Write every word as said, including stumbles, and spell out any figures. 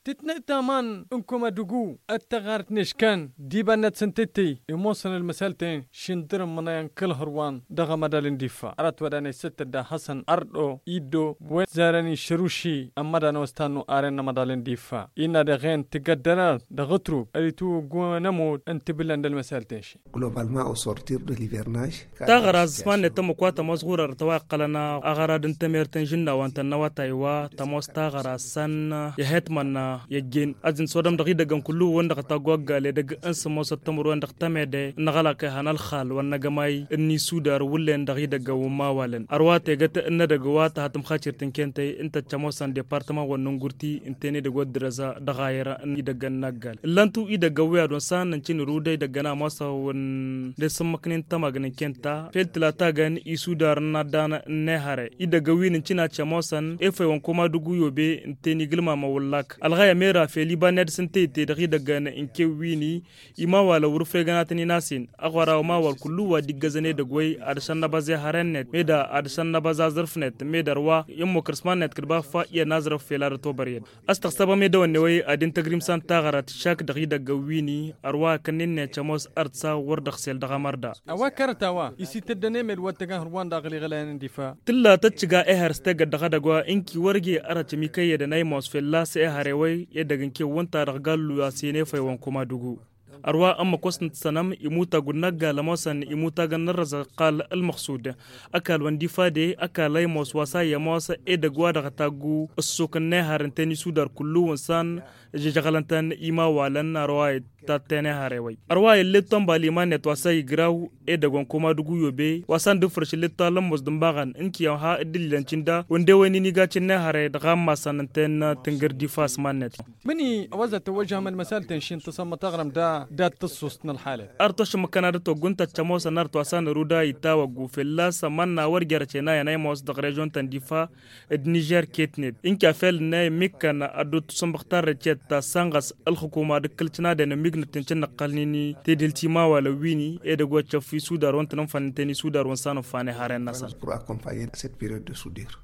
Tǝtnăy taman n-kăma dăgg-u ăttăɣart n-eškăn d-iba-net s-ǝntăytăy imoosăn ălmăsal-ten šindăr n-imǝnăyăn kăl-hărwan dăɣ-amădal n-difa ărăt wa danăy-săttăt da hasăn ărdo iddo wen zărăn išăruši ămmădan a-wa s-tannu aren n-amădal n-difa innă dăɣ-en tǝggăddărăr dăɣ-ătrub ălitǝwwǝggu n-ămudd n-tibǝllăn d-ălmăsal-ten-ši. Globalman au sortir de l'ivernaj. Taɣăra s-mannet ămmăk wa tămoos ɣur-ărăt a-wa iqqălăn aɣărad n-temert n-žǝnna wa n-tănnăwătay wa tămoos taɣăra s-an i-hetmăn i-ăjjeen ad-dd-sodăm dăɣ-idăggăn kullu-wăn dăɣ-taggu ăggal edăgg n-sămoosăt tămăr-wen dăɣ-temede n-aɣălak ihăn ălxal wa n-agămay n-isudar wullen dăɣ-idăggăn wa n-mawalăn ărwa tegăt n-edăgg wa tăha tǝmxacirt n-kentăy ǝnta ăccămoosăn departămăn wa n-ingurti ǝnta-en edăgg wa dd-răza dăɣ-ayăr n-idăggăn n-aggal ǝllan-tu idăggăn wi ad-wăn s-an nǝncǝn iruday idăggăn ămoosăn wăn d-esǝmmăknen tămagn n-kenta fel tǝlatagăn isudar n-addan n-ehăre idăggăn wi nǝncǝn ad-cămoosăn efăy wa n-koma dăgg-u yobe ǝnta-en igǝlmamăn wăllak ălɣăy ămera fel iba n-ad-dăr-s ǝnta ite dăɣ-idăggăn n-kewwini imawalăn wăr-ǝfregăn ad-tăn-in-asen ăɣora umawal kullu wa dd-iggăzăn edăgg-wey ad-dăr-s ănnăbăẓ ehăre-net meda ad-dăr-s ănnăbăẓ aẓrǝf-net meda ărwa i-ămmukăr s-iman-net kăd-ba fa iyyăn aẓrǝf fel ad-ătobăr i-dd. Ăstăɣsăbăm i-dăwănne-wey ad-intăgr imsan taɣărat šak dăɣ-idăgg ăwwini ărwa akănnen n-ecămoos ărsa wăr dăɣ-sel dăɣ-amărda. A-wa kărăt a-wa isităddăn emed wa t-tăgg-ehăr wa n-daɣ ăliɣălăyăn n-difa. Tǝlla tăt-tǝjga ehăr s-tegăt dăɣ-edăgg wa ǝnki wăr-ije ărăt ămikăyyădăn a imoos fălla-s ehăre-wey edăgg n-kewwǝnta dăɣ-gallu a-s hin-efăy wa n-kumadugu. Ărwa ămmăk wa s-nǝttăsănăm imutag wa n-aggal ămoosăn imutagăn n-ărrăzăɣ ăqqal ălmăxsud ăkall wa n-difa de ăkall a imoos wa s-a iyyămoos edăgg wa dăɣ-taggu ǝssuk n-ehăr ǝnta n-isudar kullu wa n-san žăžăɣlăn-tăn imawalăn ărwa ittattăn ehăre-wey ărwa ill'-e tonbal iman-net wa s-a igraw edăgg wa n-kumadugu yobe wa s-an dd-fărš ill'-e talămmos d-ǝmbaɣăn ǝnki a ha dd-ǝllilăn cǝnda wănde-wen-in iga cǝnnehăre dăɣ-ammasăn ǝnta-en tǝngǝr difa s-iman-net. Mǝni a-wa zăt-tăwwăžžăhăm ălmăsal-ten šintăsăm mătăɣrăm da dat-tǝssust n-ălxalăt. Ărtăšmăkăn ad-ătwăgg ǝnta ăččămosăn ărtwa s-anăru da ittawăggu fălla-s ămanna wăr jer-ăcena i-anăymos dăɣ-režon-tăn difa d-nižer ketnet ǝnka fel-net mikkăn ad-dd-tusǝnbăɣ tarrăcet ta s-anɣăs ălxukuma d-ǝkkǝl cǝnadăn ămmignăt n-cǝnnăqqălnen tedhǝlt imawalăn wi-ni edăgg wa ăccăf isudar wa n-tăn-ǝnfăn ǝnta-en isudar wa n-san ǝnfan eharen-năsăn. Pour accompagner cette période de soudure.